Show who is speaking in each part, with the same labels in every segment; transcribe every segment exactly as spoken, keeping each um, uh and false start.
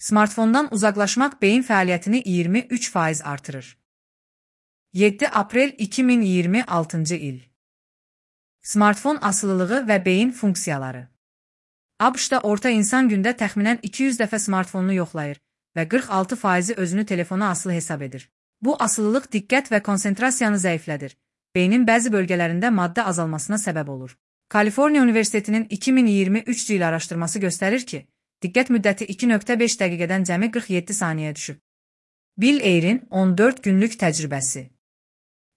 Speaker 1: Smartfondan uzaqlaşmaq beyin fəaliyyətini iyirmi üç faiz artırır. yeddi aprel iki min iyirmi altıncı il. Smartfon asılılığı və beyin funksiyaları. ABŞ-da orta insan gündə təxminən iki yüz dəfə smartfonunu yoxlayır və qırx altı faizi özünü telefona asılı hesab edir. Bu asılılıq diqqət və konsentrasiyanı zəiflədir. Beynin bəzi bölgələrində maddə azalmasına səbəb olur. Kaliforniya Universitetinin iki min iyirmi üç il araşdırması göstərir ki, diqqət müddəti iki nöqtə beş dəqiqədən cəmi qırx yeddi saniyəyə düşüb. Bill Ayre'in on dörd günlük təcrübəsi.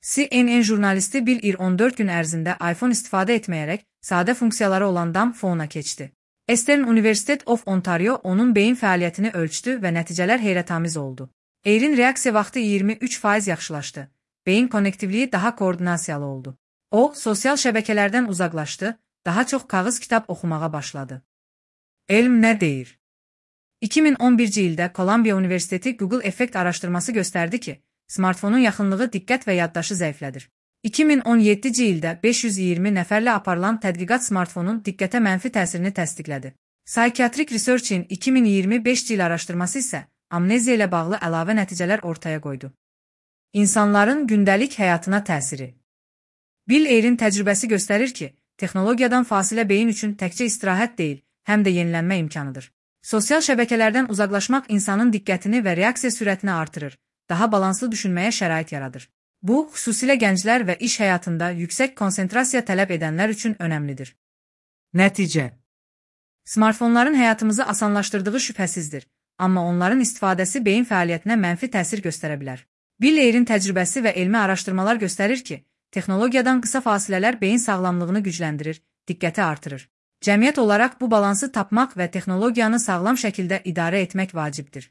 Speaker 1: C N N jurnalisti Bill Ayre on dörd gün ərzində iPhone istifadə etməyərək sadə funksiyaları olan dumb phone-a keçdi. Eastern University of Ontario onun beyin fəaliyyətini ölçdü və nəticələr heyrətamiz oldu. Ayre'in reaksiya vaxtı iyirmi üç faiz yaxşılaşdı. Beyin konnektivliyi daha koordinasiyalı oldu. O, sosial şəbəkələrdən uzaqlaşdı, daha çox kağız kitab oxumağa başladı. Elm nə deyir? iki min on birinci ildə Columbia Universiteti Google effekt araşdırması göstərdi ki, smartfonun yaxınlığı diqqət və yaddaşı zəiflədir. iki min on yeddinci ildə beş yüz iyirmi nəfərlə aparılan tədqiqat smartfonun diqqətə mənfi təsirini təsdiqlədi. Psychiatric Research-in iki min iyirmi beşinci il araşdırması isə amneziya ilə bağlı əlavə nəticələr ortaya qoydu. İnsanların gündəlik həyatına təsiri. Bill Ayre'in təcrübəsi göstərir ki, texnologiyadan fasilə beyin üçün təkcə istirahət deyil, həm də yenilənmə imkanıdır. Sosial şəbəkələrdən uzaqlaşmaq insanın diqqətini və reaksiya sürətini artırır, daha balanslı düşünməyə şərait yaradır. Bu, xüsusilə gənclər və iş həyatında yüksək konsentrasiya tələb edənlər üçün önəmlidir. Nəticə. Smartfonların həyatımızı asanlaşdırdığı şübhəsizdir, amma onların istifadəsi beyin fəaliyyətinə mənfi təsir göstərə bilər. Bill Ayre'in təcrübəsi və elmi araşdırmalar göstərir ki, texnologiyadan qısa fasilələr beyin sağlamlığını gücləndirir, diqqəti artırır. Cəmiyyət olaraq bu balansı tapmaq və texnologiyanı sağlam şəkildə idarə etmək vacibdir.